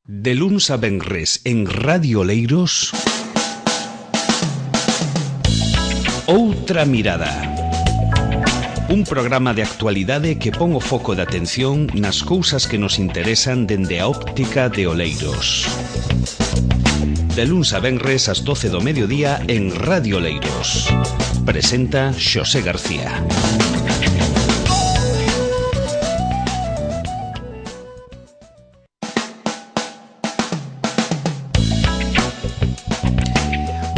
De luns a venres en Radio Oleiros, Outra Mirada. Un programa de actualidade que pon o foco de atención nas cousas que nos interesan dende a óptica de Oleiros. De luns a venres ás 12 do mediodía en Radio Oleiros. Presenta Xosé García.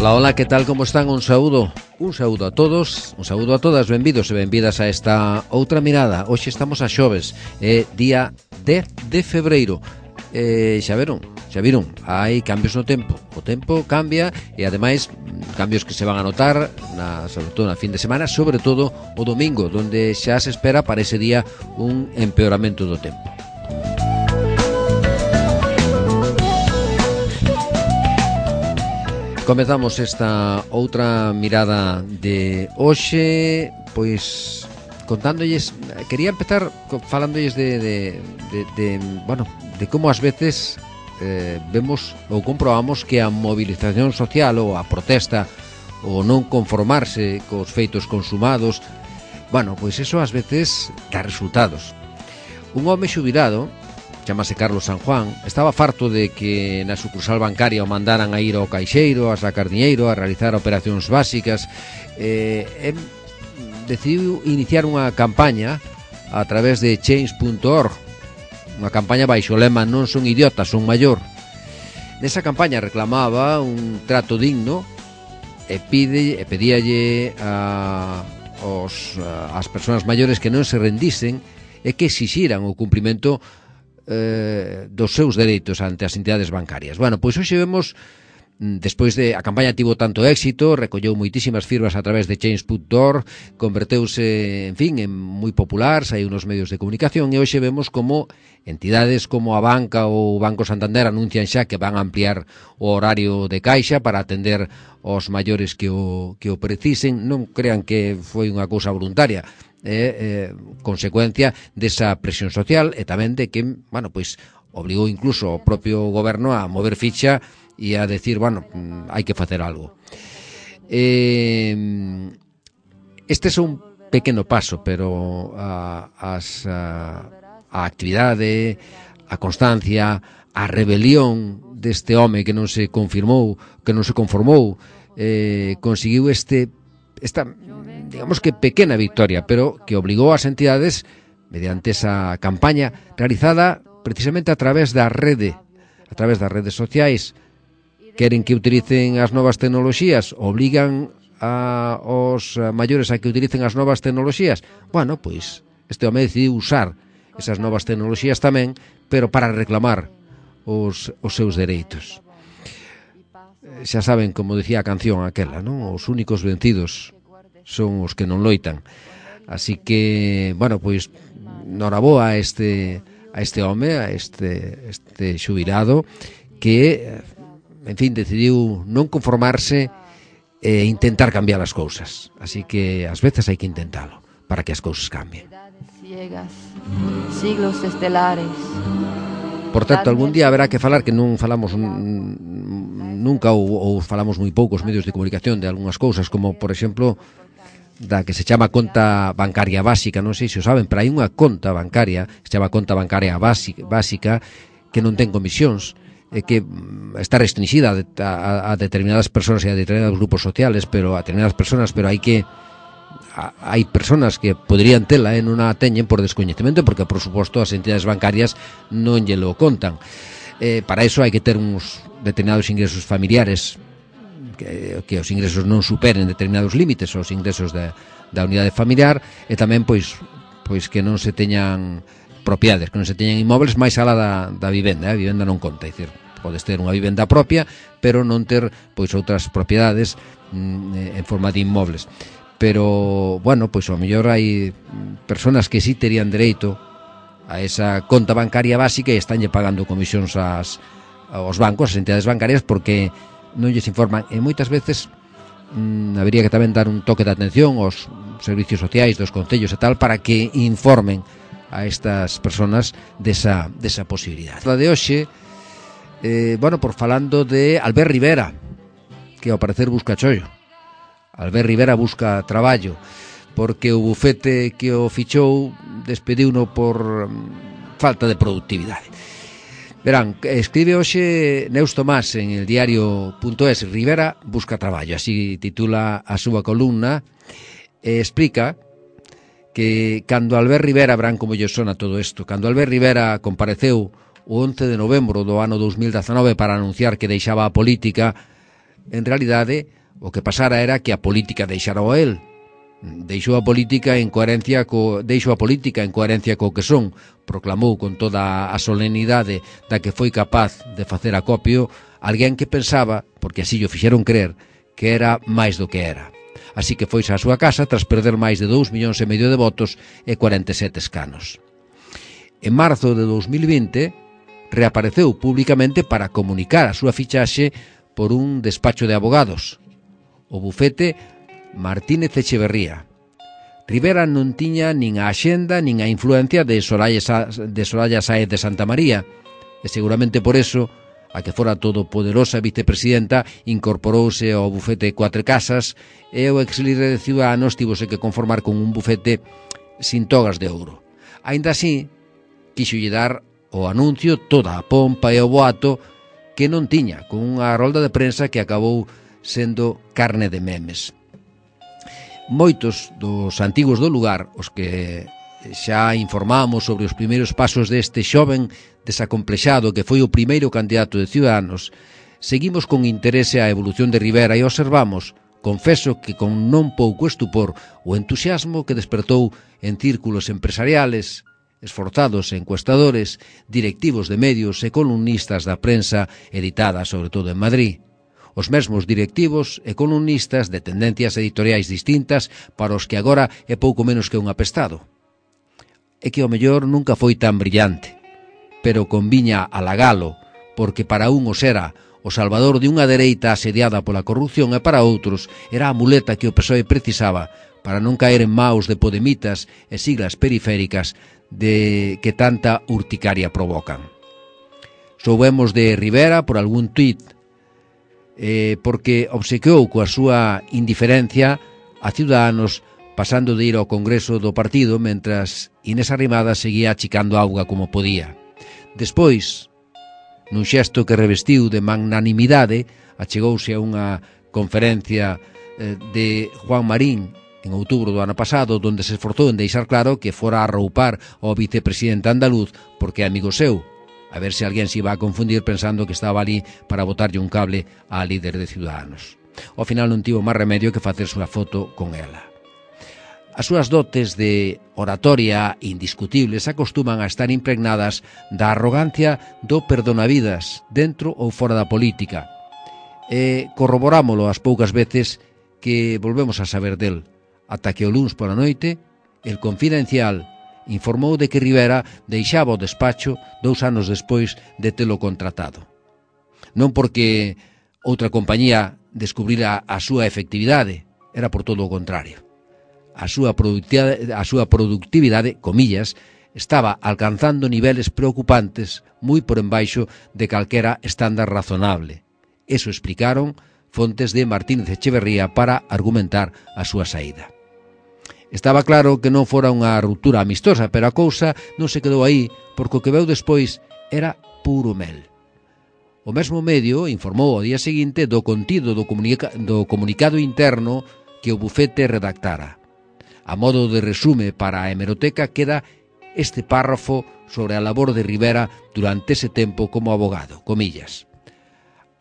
Hola, hola, que tal, como están? Un saúdo a todos, un saúdo a todas, benvidos e benvidas a esta Outra Mirada. Hoxe estamos a xoves, día 10 de febreiro. Xa viron, hai cambios no tempo. O tempo cambia e ademais cambios que se van a notar sobre todo na fin de semana, sobre todo o domingo, donde xa se espera para ese día un empeoramento do tempo. Comezamos esta outra mirada de hoxe, pois contándolles, quería empezar falándolles de como ás veces vemos ou comprobamos que a movilización social ou a protesta ou non conformarse cos feitos consumados, pois eso ás veces dá resultados. Un home xubilado, chamase Carlos San Juan, estaba farto de que na sucursal bancaria o mandaran a ir ao caixeiro, a sacar diñeiro, a realizar operacións básicas. Decidiu iniciar unha campaña a través de Change.org, unha campaña baixo o lema "Non son idiotas, son maior". Nesa campaña reclamaba un trato digno e pedíalle ás persoas maiores que non se rendisen e que exixiran o cumprimento dos seus dereitos ante as entidades bancarias. Pois hoxe vemos, despois de a campaña tivo tanto éxito, recolleu moitísimas firmas a través de Change.org, converteuse, en moi popular, saiu nos medios de comunicación e hoxe vemos como entidades como a Banca ou o Banco Santander anuncian xa que van a ampliar o horario de caixa para atender aos maiores que o precisen. Non crean que foi unha cousa voluntaria, consecuencia desa presión social e tamén de que, pois obligou incluso o propio goberno a mover ficha e a decir, hai que facer algo. Este é un pequeno paso, pero a actividade, a constancia, a rebelión deste home que non se conformou, conseguiu esta, digamos que pequena victoria, pero que obligou ás entidades, mediante esa campaña realizada precisamente a través das redes sociais, queren que utilicen as novas tecnoloxías, obligan aos maiores a que utilicen as novas tecnoloxías. Pois este home decidiu usar esas novas tecnoloxías tamén, pero para reclamar os seus dereitos. Xa saben, como decía a canción aquela, non? Os únicos vencidos son os que non loitan. Así que, pois noraboa a este home, a este xubilado que, decidiu non conformarse e intentar cambiar as cousas. Así que ás veces hai que intentalo para que as cousas cambien. Siglos estelares. Por tanto, algún día haberá que falar, que non falamos nunca ou falamos moi poucos medios de comunicación de algunhas cousas, como, por exemplo, da que se chama conta bancaria básica. Non sei se o saben, pero hai unha conta bancaria que se chama conta bancaria básica que non ten comisións, que está restringida a determinadas persoas e a determinados grupos sociales, pero a determinadas persoas, pero hai persoas que poderían tela e non a teñen por descoñecemento, porque, por suposto, as entidades bancarias non lle lo contan. Para iso hai que ter uns determinados ingresos familiares, que os ingresos non superen determinados límites, os ingresos da unidade familiar, e tamén pois que non se teñan propiedades, que non se teñan inmóveis máis alá da vivenda. A vivenda non conta, é dicir, podes ter unha vivenda propia, pero non ter pois outras propiedades en forma de inmóveis. Pero, pois ao mellor hai persoas que sí terían dereito a esa conta bancaria básica e estanlle pagando comisións aos bancos, as entidades bancarias, porque non lles informan. E moitas veces habería que tamén dar un toque de atención aos servicios sociais dos concellos e tal, para que informen a estas persoas desa posibilidade. A de hoxe por falando de Albert Rivera, que ao parecer busca chollo. Albert Rivera busca traballo, porque o bufete que o fichou despediuno por falta de productividade. Verán, escribe hoxe Neus Tomás en el diario.es, Rivera busca traballo, así titula a súa columna, e explica que cando Albert Rivera, verán como lle sona todo isto, cando Albert Rivera compareceu o 11 de novembro do ano 2019 para anunciar que deixaba a política, en realidade o que pasara era que a política deixara a él. Deixou a política en coherencia co que son, proclamou con toda a solemnidade da que foi capaz de facer acopio alguén que pensaba, porque así o fixeron crer, que era máis do que era. Así que foise á súa casa tras perder máis de 2,5 millóns de votos e 47 escanos. En marzo de 2020 reapareceu públicamente para comunicar a súa fichaxe por un despacho de abogados, o bufete Martínez Echeverría. Rivera non tiña nin a axenda nin a influencia de Soraya Sáez de Santa María, e seguramente por eso a que fora todopoderosa vicepresidenta incorporouse ao bufete Cuatro Casas e o exlíder de Ciudadanos tivose que conformar con un bufete sin togas de ouro. Aínda así, quixolle dar o anuncio toda a pompa e o boato que non tiña, con unha rolda de prensa que acabou sendo carne de memes. Moitos dos antigos do lugar, os que xa informamos sobre os primeiros pasos deste xoven desacomplexado que foi o primeiro candidato de Ciudadanos, seguimos con interese a evolución de Rivera e observamos, confeso que con non pouco estupor, o entusiasmo que despertou en círculos empresariales, esforzados encuestadores, directivos de medios e columnistas da prensa editada sobre todo en Madrid. Os mesmos directivos e columnistas de tendencias editoriais distintas para os que agora é pouco menos que un apestado. É que o mellor nunca foi tan brillante, pero conviña halagalo, porque para uns era o salvador de unha dereita asediada pola corrupción e para outros era a muleta que o PSOE precisaba para non caer en maos de podemitas e siglas periféricas de que tanta urticaria provocan. Soubemos de Rivera por algún tuit, porque obsequiou coa súa indiferencia a Ciudadanos pasando de ir ao Congreso do partido mentras Inés Arrimadas seguía achicando auga como podía. Despois, nun xesto que revestiu de magnanimidade, achegouse a unha conferencia de Juan Marín en outubro do ano pasado, donde se esforzou en deixar claro que fora a arroupar ao vicepresidente andaluz porque é amigo seu, a ver se alguén se iba a confundir pensando que estaba ali para botarlle un cable á líder de Ciudadanos. Ao final non tivo máis remedio que facerse unha foto con ela. As súas dotes de oratoria indiscutibles acostuman a estar impregnadas da arrogancia do perdonavidas dentro ou fora da política, e corroborámolo as poucas veces que volvemos a saber del, ata que o luns pola noite El Confidencial informou de que Rivera deixaba o despacho 2 anos despois de telo contratado. Non porque outra compañía descubrira a súa efectividade, era por todo o contrario. A súa productividade, comillas, estaba alcanzando niveles preocupantes moi por embaixo de calquera estándar razonable. Eso explicaron fontes de Martínez Echeverría para argumentar a súa saída. Estaba claro que non fora unha ruptura amistosa, pero a cousa non se quedou aí, porque o que veu despois era puro mel. O mesmo medio informou ao día seguinte do contido do comunicado interno que o bufete redactara. A modo de resume para a hemeroteca queda este párrafo sobre a labor de Rivera durante ese tempo como abogado, comillas.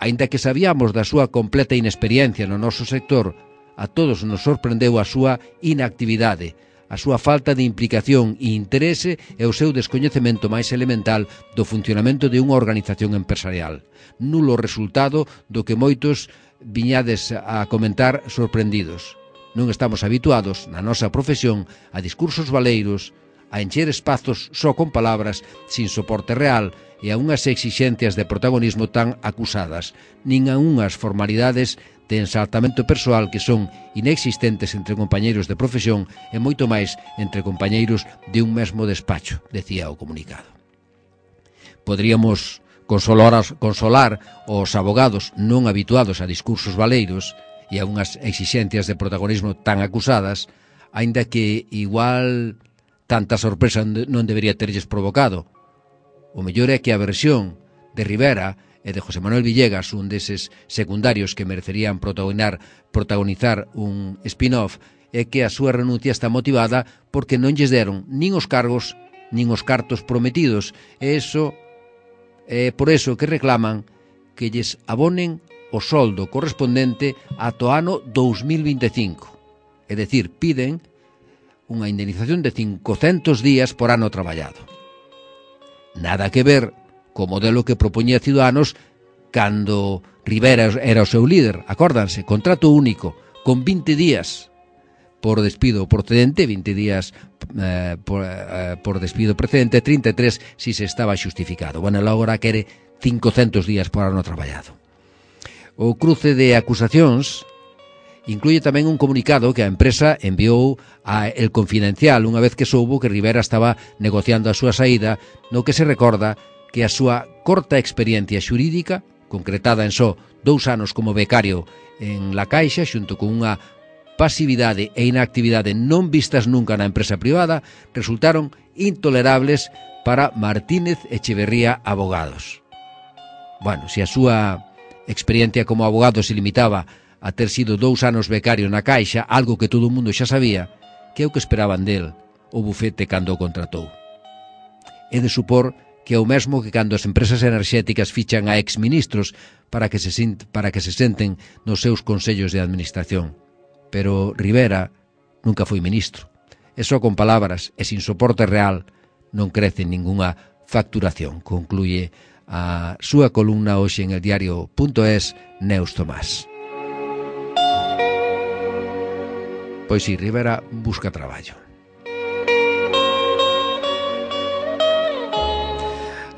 Aínda que sabíamos da súa completa inexperiencia no noso sector, a todos nos sorprendeu a súa inactividade, a súa falta de implicación e interese e o seu descoñecemento máis elemental do funcionamento de unha organización empresarial. Nulo resultado do que moitos viñades a comentar sorprendidos. Non estamos habituados, na nosa profesión, a discursos baleiros, a encher espazos só con palabras, sin soporte real, e a unhas exixencias de protagonismo tan acusadas, nin a unhas formalidades de ensaltamento persoal que son inexistentes entre compañeiros de profesión e moito máis entre compañeiros de un mesmo despacho, decía o comunicado. Poderíamos consolar os abogados non habituados a discursos baleiros e a unhas exixencias de protagonismo tan acusadas, aínda que igual tanta sorpresa non debería terlles provocado. O mellor é que a versión de Rivera e de José Manuel Villegas, un deses secundarios que merecerían protagonizar un spin-off, é que a súa renuncia está motivada porque non lles deron nin os cargos nin os cartos prometidos, e iso é por eso que reclaman que lles abonen o soldo correspondente ata o ano 2025. É dicir, piden unha indemnización de 500 días por ano traballado. Nada que ver co modelo que propoñía Ciudadanos cando Rivera era o seu líder. Acórdanse, contrato único, con 20 días por despido procedente, 20 días por despido precedente, 33 si se estaba xustificado. Bueno, agora quere 500 días por ano traballado. O cruce de acusacións incluye tamén un comunicado que a empresa enviou a El Confidencial unha vez que soubo que Rivera estaba negociando a súa saída, no que se recorda que a súa corta experiencia xurídica, concretada en só 2 anos como becario en La Caixa, xunto con unha pasividade e inactividade non vistas nunca na empresa privada, resultaron intolerables para Martínez Echeverría Abogados. Bueno, se a súa experiencia como abogado se limitaba a ter sido 2 anos becario na Caixa, algo que todo o mundo xa sabía, que é o que esperaban del o bufete cando o contratou. É de supor que é o mesmo que cando as empresas enerxéticas fichan a exministros para que se senten nos seus consellos de administración. Pero Rivera nunca foi ministro. E só con palabras e sin soporte real non crece ningunha facturación, concluye a súa columna hoxe en el diario.es Neus Tomás. Pois si, Rivera busca traballo.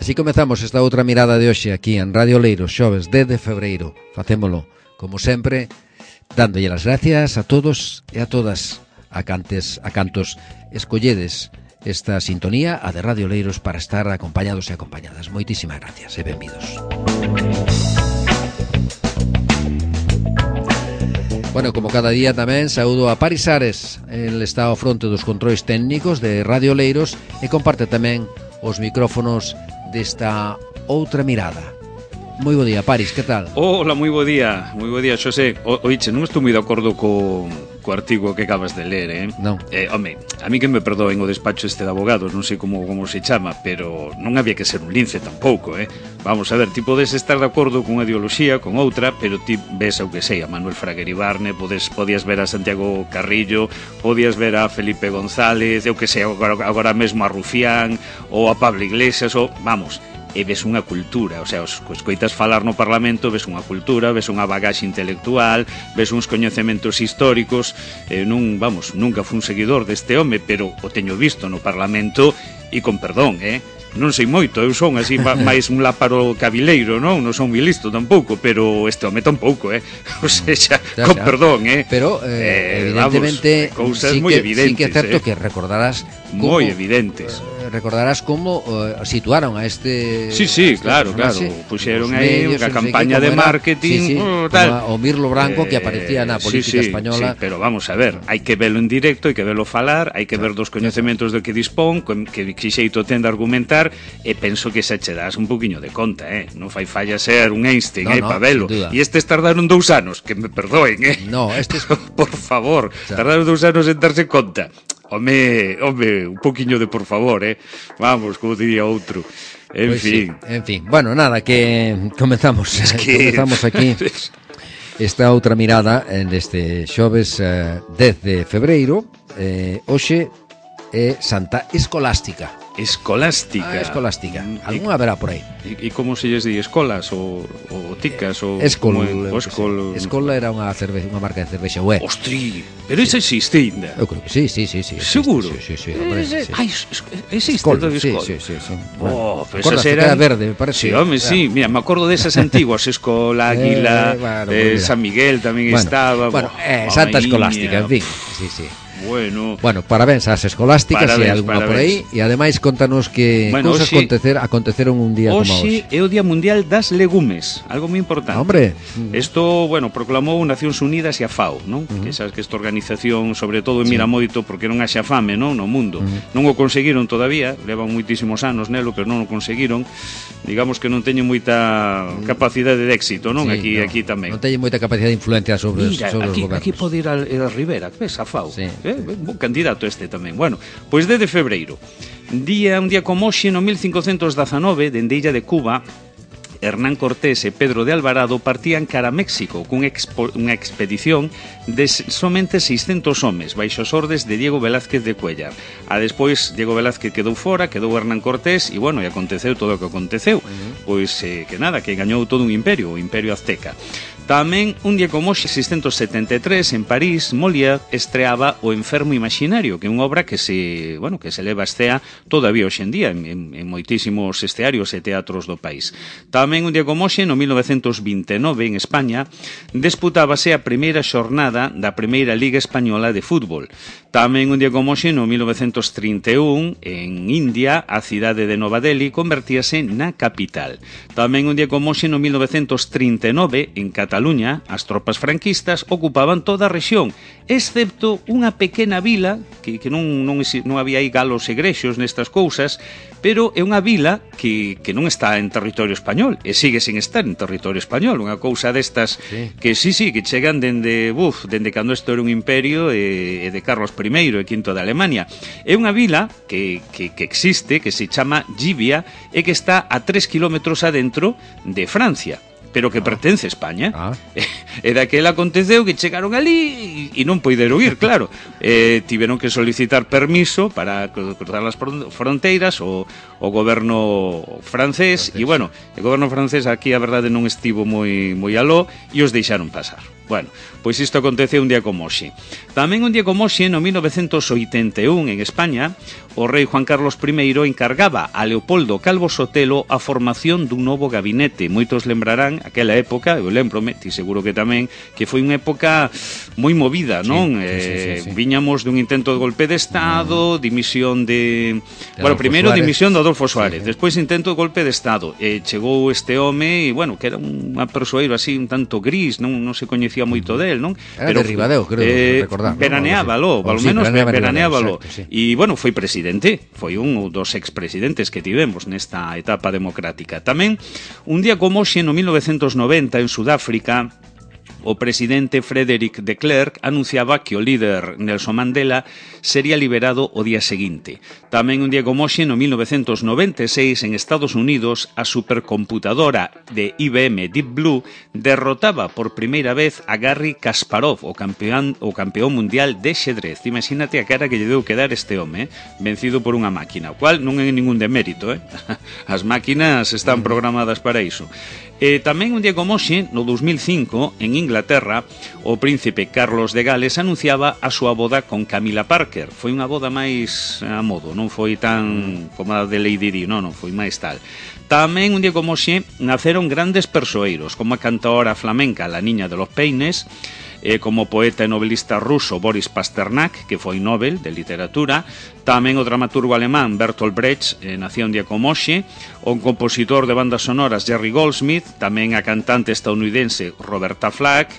Así comezamos esta outra mirada de hoxe aquí en Radio Oleiros, xoves 10 de febreiro. Facémolo, como sempre, dándolle as gracias a todos e a todas a cantos escolledes esta sintonía, a de Radio Oleiros, para estar acompañados e acompañadas. Moitísimas gracias e benvidos. Bueno, como cada día tamén saúdo a Paris Ares. El está ao fronte dos controis técnicos de Radio Oleiros e comparte tamén os micrófonos desta outra mirada. Moi bo día, Paris, que tal? Hola, moi bo día, Xosé. Oiche, non estou moi de acordo co artigo que acabas de ler, Non. Home, a mí que me perdoen o despacho este de abogados, non sei como se chama, pero non había que ser un lince tampouco, Vamos a ver, ti podes estar de acordo con unha ideoloxía, con outra, pero ti ves o que sei, a Manuel Fraguer Ibarne, podías ver a Santiago Carrillo, podías ver a Felipe González, eu que sei, agora mesmo a Rufián, ou a Pablo Iglesias, ou, vamos, e ves unha cultura, o sea, os coitas falar no Parlamento, ves unha cultura, ves unha bagaxe intelectual, ves uns coñecementos históricos, nunca fui un seguidor deste home, pero o teño visto no Parlamento e con perdón, non sei moito, eu son así máis un láparo cabileiro, non son moi listo tampouco, pero este home tampouco, o sea, con perdón, pero evidentemente cousas moi evidentes, sí que é certo que recordarás moi evidentes. Recordarás como situaron a este... Sí, claro, puxeron aí unha campaña de marketing, tal. O Mirlo Branco que aparecía na política española. Sí, pero vamos a ver, hai que velo en directo, hai que velo falar, hai que ver dos coñecementos de que dispón, que xeito ten de argumentar, e penso que se che das un poquinho de conta, non fai falla ser un Einstein, pa velo. E estes tardaron 2 anos, que me perdoen, No, estes... por favor, tardaron 2 anos en darse conta. Home, un poquinho de por favor, Vamos, como diría outro. En fin. Bueno, nada, que comenzamos aquí esta outra mirada neste xoves 10 de febreiro. Hoxe é Santa Escolástica. Escolástica. Algún haberá por aí. E como se lles di, escolas ou ticas ou Escol. Escol era unha marca de cervexa, Ostri, pero esa existe ainda. Eu creo que sí. Seguro? Sí, hombre, sí. Existe todo Escol. Sí. Bueno, pues esas eran... era verde, me parece. Sí, home, sí, mira, me acordo desas antiguas, Escol, Águila, San Miguel tamén estaba. Bueno, Santa Escolástica, en fin. Sí. Bueno, parabéns ás escolásticas, se hai alguna por aí, e ademais contanos que cousas aconteceron un día como hoxe. É o Día Mundial das Legumes, algo moi importante. Hombre, isto, proclamou Nacións Unidas e a FAO, non? Que sabes que esta organización, sobre todo, mira moito porque non haxa fame, non, no mundo. Non o conseguiron todavía, levan moitísimos anos nelo, pero non o conseguiron. Digamos que non teñen moita capacidade de éxito, non? Sí, aquí tamén. Non teñen moita capacidade de influencia sobre os gobernos. Aquí pode ir a Rivera, ves, a FAO. Sí. Un candidato este tamén. Bueno, pois desde febreiro, un día como hoxe, no 1519, dende Illa de Cuba, Hernán Cortés e Pedro de Alvarado partían cara a México cunha expedición de somente 600 homes baixo as ordes de Diego Velázquez de Cuéllar. Despois Diego Velázquez quedou fora, quedou Hernán Cortés e aconteceu todo o que aconteceu. Pois que gañou todo un imperio, o Imperio Azteca. Tamén, un día como hoxe, 673, en París, Molière estreaba O Enfermo Imaginario, que é unha obra que se leva a escea todavía hoxe en día en moitísimos estearios e teatros do país. Tamén, un día como hoxe, no 1929, en España, disputábase a primeira xornada da Primeira Liga Española de Fútbol. Tamén, un día como hoxe, no 1931, en India, a cidade de Nova Delhi convertíase na capital. Tamén, un día como hoxe, no 1939, en Cataluña, as tropas franquistas ocupaban toda a rexión, excepto unha pequena vila, que non había aí galos e grexos nestas cousas, pero é unha vila que non está en territorio español, e sigue sin estar en territorio español, unha cousa destas que que chegan dende cando isto era un imperio e de Carlos I e V de Alemania. É unha vila que existe, que se chama Llivia, e que está a 3 kilómetros adentro de Francia, pero que pertence a España. E daquela aconteceu que chegaron ali e non poideron ir, claro. Tiveron que solicitar permiso para cruzar as fronteiras o goberno francés, e o goberno francés aquí a verdade non estivo moi aló e os deixaron pasar. Bueno, pois isto aconteceu un día como hoxe. Tamén un día como hoxe, no 1981, en España, o rei Juan Carlos I encargaba a Leopoldo Calvo Sotelo a formación dun novo gabinete. Moitos lembrarán aquela época, eu lembrome, ti seguro que tamén, que foi unha época moi movida, non? Sí. Viñamos dun intento de golpe de Estado, dimisión de... primeiro dimisión de Adolfo Suárez, despois intento de golpe de Estado. Chegou este home e, que era un persoeiro así un tanto gris, non se coñecía moito del, non? Era de Ribadeo, creo recordar. Veraneábalo, polo menos veraneábalo. E, foi presidente, foi un dos expresidentes que tivemos nesta etapa democrática. Tamén, un día como hoxe, no 1990, en Sudáfrica, o presidente Frederick de Klerk anunciaba que o líder Nelson Mandela sería liberado o día seguinte. Tamén un día como hoxe, no 1996, en Estados Unidos, a supercomputadora de IBM Deep Blue derrotaba por primeira vez a Garry Kasparov, o campeón mundial de xedrez. Imagínate a cara que lle deu que dar este home, vencido por unha máquina, o cual non é ningún demérito, As máquinas están programadas para iso. Tamén un día como hoxe, no 2005, en Inglaterra, o príncipe Carlos de Gales anunciaba a súa boda con Camila Parker. Foi unha boda máis a modo, non foi tan como a de Lady Di, non foi máis tal. Tamén un día como hoxe naceron grandes persoeiros, como a cantaora flamenca La Niña de los Peines, como poeta e novelista ruso Boris Pasternak, que foi Nobel de Literatura, tamén o dramaturgo alemán Bertolt Brecht, nacía un día como hoxe, o compositor de bandas sonoras Jerry Goldsmith, tamén a cantante estadounidense Roberta Flack,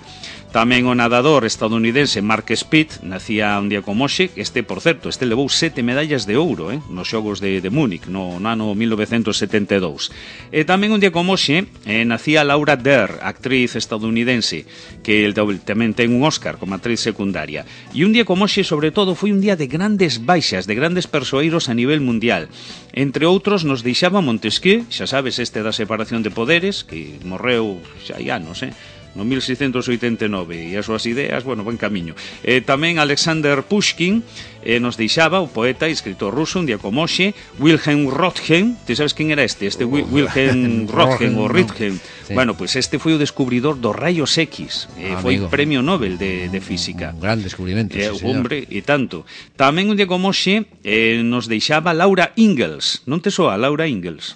tamén o nadador estadounidense Mark Speed, nacía un día como hoxe. Por certo, levou 7 medallas de ouro nos xogos de Múnich no ano 1972. E tamén un día como hoxe nacía Laura Dern, actriz estadounidense, que tamén ten un Oscar como actriz secundaria. E un día como hoxe, sobre todo, foi un día de grandes baixas, de grandes persoeiros a nivel mundial. Entre outros, nos deixaba Montesquieu, xa sabes, da separación de poderes, que morreu xa hai anos, no 1689, e as súas ideas, van camiño. Tamén Alexander Pushkin nos deixaba, o poeta e escritor ruso, un día como hoxe. Wilhelm Röntgen, ti sabes quen era este Wilhelm Röntgen ou Röntgen? Sí. Pois este foi o descubridor dos rayos X, foi premio Nobel de Física. Un gran descubrimento, hombre, e tanto. Tamén un día como hoxe nos deixaba Laura Ingalls. Non te soa Laura Ingalls?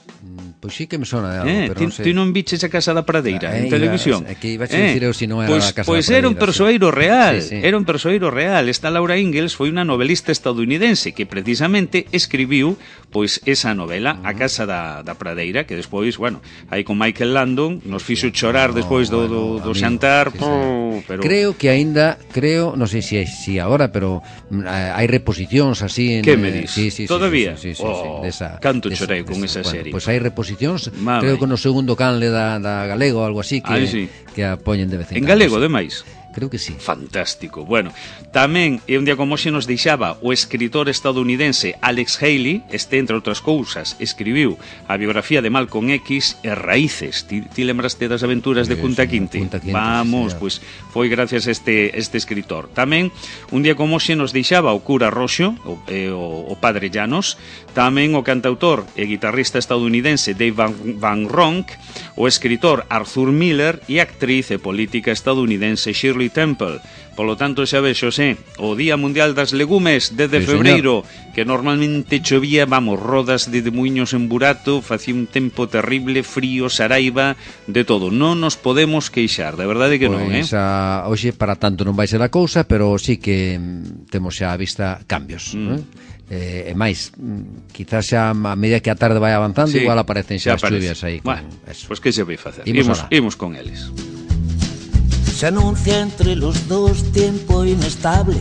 Pois sí que me sona de algo, pero non sei. Ti non viches a Casa da Pradeira en televisión? É que iba a dicir eu se non era a Casa da Pradeira. Pois era un persoeiro real, era un persoeiro real. Esta Laura Ingalls foi unha novelista estadounidense que precisamente escribiu pois esa novela, A Casa da Pradeira, que despois, bueno, aí con Michael Landon nos fixo chorar despois do xantar, pero creo que aínda, non sei se agora, pero hai reposicións así en... Que me dis? Sí, todavía? Sí, canto chorei con esa serie. Pois hai reposicións, creo que no segundo canle da galego, algo así, que a poñen de vez en cando. En galego, ademais? Creo que sí. Fantástico. Bueno, tamén, e un día como hoxe nos deixaba o escritor estadounidense Alex Haley, entre outras cousas, escribiu a biografía de Malcolm X e Raíces. Ti lembraste das aventuras de Kunta Kinte? Vamos, pois foi gracias a este escritor. Tamén, un día como hoxe nos deixaba o cura Roxo, o padre Llanos, tamén o cantautor e guitarrista estadounidense Dave Van Ronk, o escritor Arthur Miller e a actriz e política estadounidense Shirley Temple. Polo tanto, xa vexo, o Día Mundial das Legumes desde febreiro, que normalmente chovía, rodas de muiños en burato, facía un tempo terrible, frío, saraiva, de todo. Non nos podemos queixar, de verdade que non, Hoxe para tanto non vai ser a cousa, pero sí que temos xa a vista cambios, e máis, quizás xa a medida que a tarde vai avanzando, igual aparecen xa as chuvias aí. Bueno, pois que se vai facer? Imos con eles. Se anuncia entre los dos tiempo inestable.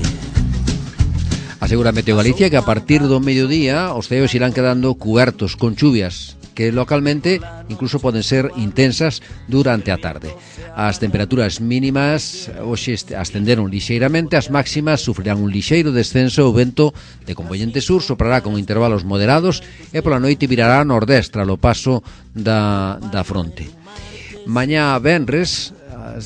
Asegura Meteo Galicia que a partir do mediodía os ceos irán quedando cubertos con chuvias que localmente incluso poden ser intensas durante a tarde. As temperaturas mínimas hoxe ascenderon lixeiramente, as máximas sufrirán un lixeiro descenso. O vento de compoñente sur soprará con intervalos moderados e pola noite virará nordestra ao paso da fronte. Mañá venres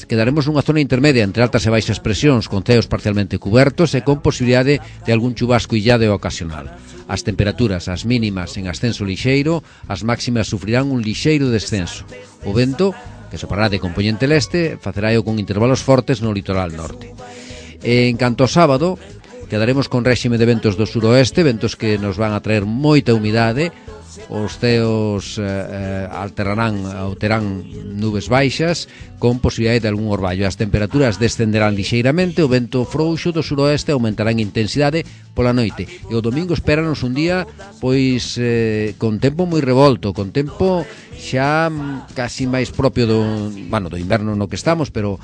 quedaremos nunha zona intermedia entre altas e baixas presións, con ceos parcialmente cubertos e con posibilidade de algún chubasco illado e ocasional. As temperaturas, as mínimas en ascenso lixeiro, as máximas sufrirán un lixeiro descenso. O vento, que soprará de compoñente leste, faceráo con intervalos fortes no litoral norte. En canto ao sábado, quedaremos con réxime de ventos do suroeste, ventos que nos van a traer moita humidade. Os ceos terán nubes baixas con posibilidade de algún orballo. As temperaturas descenderán lixeiramente, o vento frouxo do suroeste aumentará en intensidade pola noite. E o domingo espéranos un día pois con tempo moi revolto, con tempo xa casi máis propio do inverno no que estamos, pero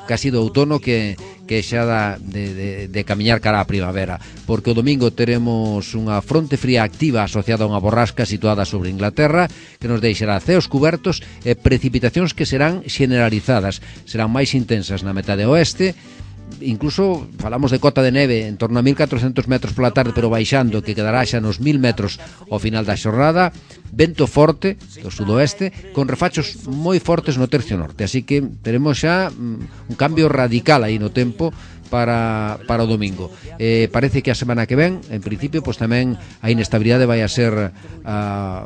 casi do outono que xa de camiñar cara á primavera, porque o domingo teremos unha fronte fría activa asociada a unha borrasca situada sobre Inglaterra que nos deixará ceos cubertos e precipitacións que serán generalizadas, serán máis intensas na metade oeste. Incluso falamos de cota de neve en torno a 1400 metros pola tarde, pero baixando, que quedará xa nos 1000 metros ao final da xornada. Vento forte do sudoeste con refachos moi fortes no tercio norte, así que teremos xa un cambio radical aí no tempo para o domingo. Parece que a semana que ven, en principio, pois tamén a inestabilidade vai a ser a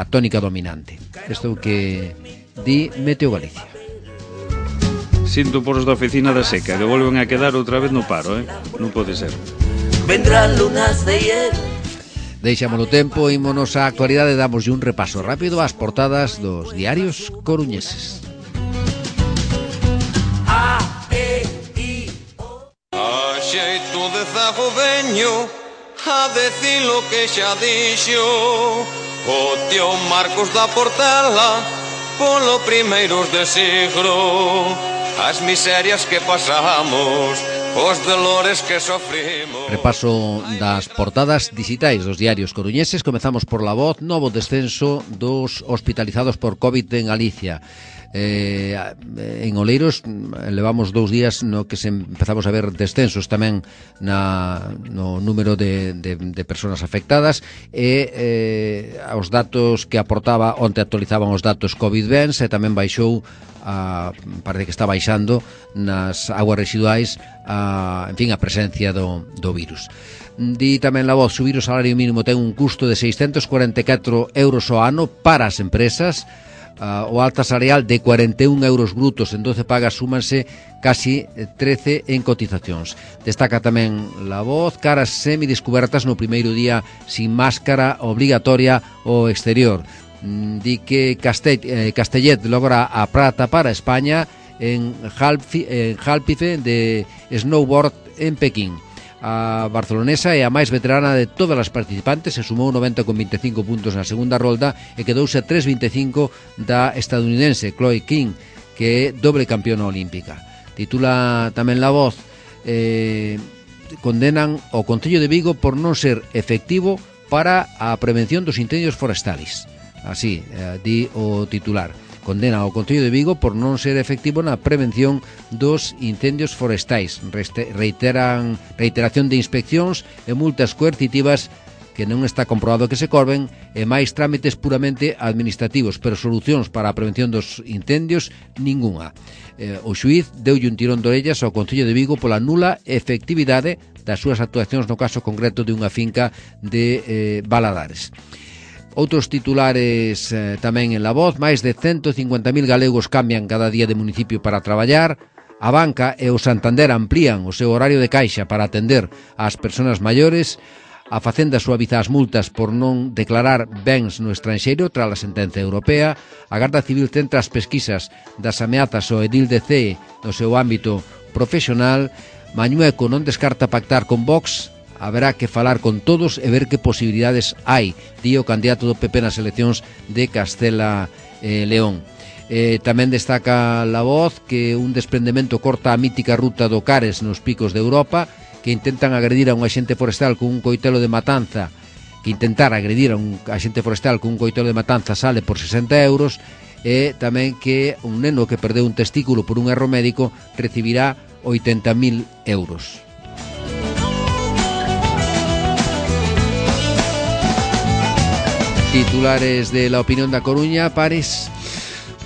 tónica dominante. Isto que di Meteo Galicia. Sinto por os da oficina da seca, que volven a quedar outra vez no paro, non pode ser. Vendrán lunas de hielo. Deixámolo tempo, ímonos á actualidade, damos un repaso rápido ás portadas dos diarios coruñeses. A xeito de zago veño a decir lo que xa dixo o tío Marcos da Portela polo primeiros de siglo. As miserias que pasamos, os dolores que sofrimos. Repaso das portadas digitais dos diarios coruñeses. Comezamos por La Voz. Novo descenso dos hospitalizados por COVID en Galicia. En Oleiros levamos 2 días no que empezamos a ver descensos tamén no número de persoas afectadas, e os datos que aportaba onte actualizaban os datos COVID-20 e tamén baixou parece que está baixando nas aguas residuais a presencia do virus. Di tamén La Voz, subir o salario mínimo ten un custo de 644 euros ao ano para as empresas. O alta salarial de 41 euros brutos en 12 pagas súmanse casi 13 en cotizacións. Destaca tamén La Voz, caras semidescubertas no primeiro día sin máscara obrigatoria ao exterior. di que Castellet logra a prata para España en Halpife de snowboard en Pekín. A barcelonesa é a máis veterana de todas as participantes, se sumou 90 con 25 puntos na segunda rolda e quedouse a 3,25 da estadounidense Chloe King, que é doble campeona olímpica. Titula tamén La Voz, condenan o Concello de Vigo por non ser efectivo para a prevención dos incendios forestales. Así, di o titular. Condena ao Concello de Vigo por non ser efectivo na prevención dos incendios forestais. Reiteración de inspeccións e multas coercitivas que non está comprobado que se corben e máis trámites puramente administrativos, pero solucións para a prevención dos incendios ningunha. O xuíz deulle un tirón de orellas ao Concello de Vigo pola nula efectividade das súas actuacións no caso concreto de unha finca de Valadares. Outros titulares tamén en La Voz. Máis de 150.000 galegos cambian cada día de municipio para traballar. A Banca e o Santander amplían o seu horario de caixa para atender ás persoas maiores. A Facenda suaviza as multas por non declarar bens no estranxeiro tras a sentenza europea. A Garda Civil centra as pesquisas das ameazas ao edil de CEE no seu ámbito profesional. Mañueco non descarta pactar con Vox. Haberá que falar con todos e ver que posibilidades hai, di o candidato do PP nas eleccións de Castela León. Tamén destaca La Voz que un desprendemento corta a mítica ruta do Cares nos picos de Europa, que intentan agredir a un axente forestal con un coitelo de matanza, sale por 60 euros, e tamén que un neno que perdeu un testículo por un erro médico recibirá 80.000 euros. Titulares de La Opinión da Coruña, Pares.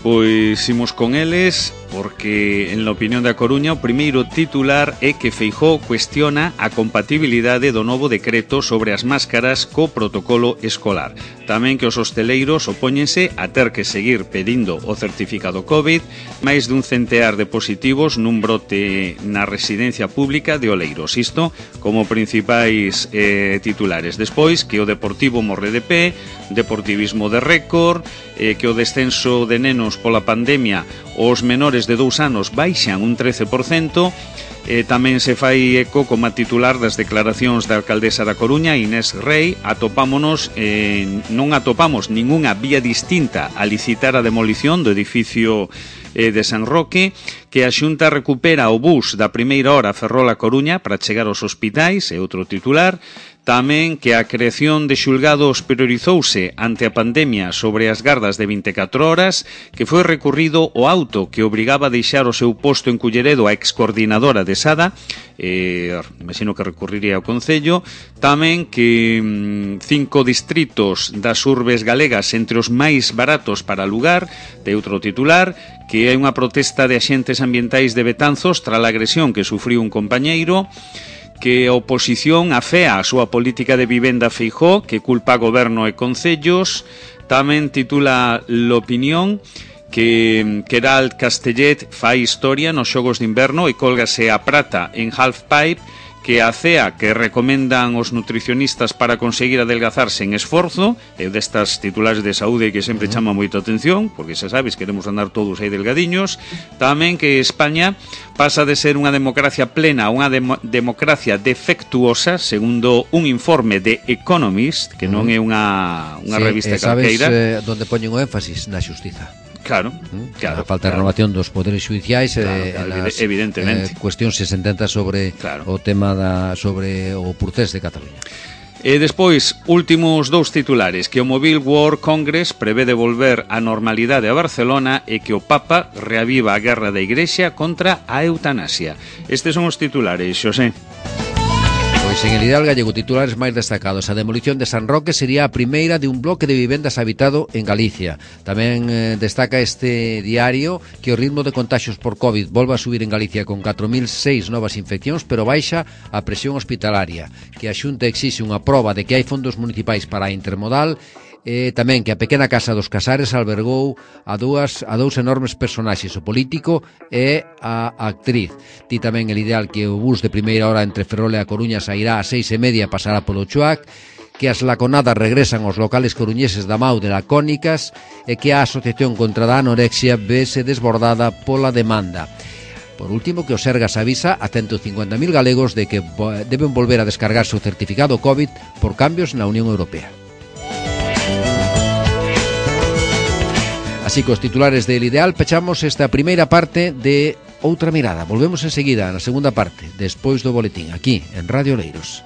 Pois imos con eles, porque en La Opinión da Coruña o primeiro titular é que Feijóo cuestiona a compatibilidade do novo decreto sobre as máscaras co protocolo escolar. Tamén que os hosteleiros opóñense a ter que seguir pedindo o certificado COVID, máis dun centear de positivos nun brote na residencia pública de Oleiros. Isto como principais titulares. Despois que o Deportivo morre de pé, deportivismo de récord, que o descenso de nenos pola pandemia, os menores de 2 anos baixan un 13%, tamén se fai eco como titular das declaracións da alcaldesa da Coruña, Inés Rei. Non atopamos ningunha vía distinta a licitar a demolición do edificio de San Roque, que a Xunta recupera o bus da primeira hora Ferrol-A Coruña para chegar aos hospitais, é outro titular. Tamén que a creación de xulgados priorizouse ante a pandemia sobre as gardas de 24 horas, que foi recurrido o auto que obrigaba a deixar o seu posto en Culleredo a excoordinadora de Sada, imagino que recurriría ao Concello. Tamén que 5 distritos das urbes galegas entre os máis baratos para alugar, de outro titular, que hai unha protesta de axentes ambientais de Betanzos tras a agresión que sufriu un compañeiro. Que a oposición afea a súa política de vivenda Feijóo, que culpa a goberno e concellos. Tamén titula L'Opinión que Queralt Castellet fai historia nos xogos de inverno e cólgase a prata en halfpipe, que a CEA que recomendan os nutricionistas para conseguir adelgazarse en esforzo, é destas titulares de saúde que sempre chama moito a atención, porque xa sabes, queremos andar todos aí delgadiños. Tamén que España pasa de ser unha democracia plena a unha democracia defectuosa, segundo un informe de Economist, que non é unha revista calqueira. Sabes onde poñen o énfasis? Na xustiza. Claro. A falta de renovación dos poderes judiciais, evidentemente. Cuestións se sententas sobre o tema sobre o procés de Cataluña. E despois, últimos 2 titulares, que o Mobile World Congress prevé devolver a normalidade a Barcelona e que o Papa reaviva a guerra da Igrexa contra a eutanasia. Estes son os titulares, Xosé. Pois en el Ideal Gallego, titulares máis destacados. A demolición de San Roque sería a primeira de un bloque de vivendas habitado en Galicia. Tamén destaca este diario que o ritmo de contaxios por COVID volve a subir en Galicia con 4.006 novas infeccións, pero baixa a presión hospitalaria. Que a Xunta exixe unha proba de que hai fondos municipais para a intermodal. Tamén que a pequena casa dos Casares albergou a dous enormes personaxes, o político e a actriz. Ti tamén el Ideal que o bus de primeira hora entre Ferrol e a Coruña sairá a 6:30 e pasará polo Chuac, que as laconadas regresan aos locales coruñeses da MAU de lacónicas e que a Asociación contra a Anorexia vese desbordada pola demanda. Por último, que o Sergas avisa a 150.000 galegos de que deben volver a descargarse o certificado COVID por cambios na Unión Europea. Así que os titulares del Ideal pechamos esta primeira parte de Outra Mirada. Volvemos enseguida na segunda parte, despois do boletín, aquí en Radio Oleiros.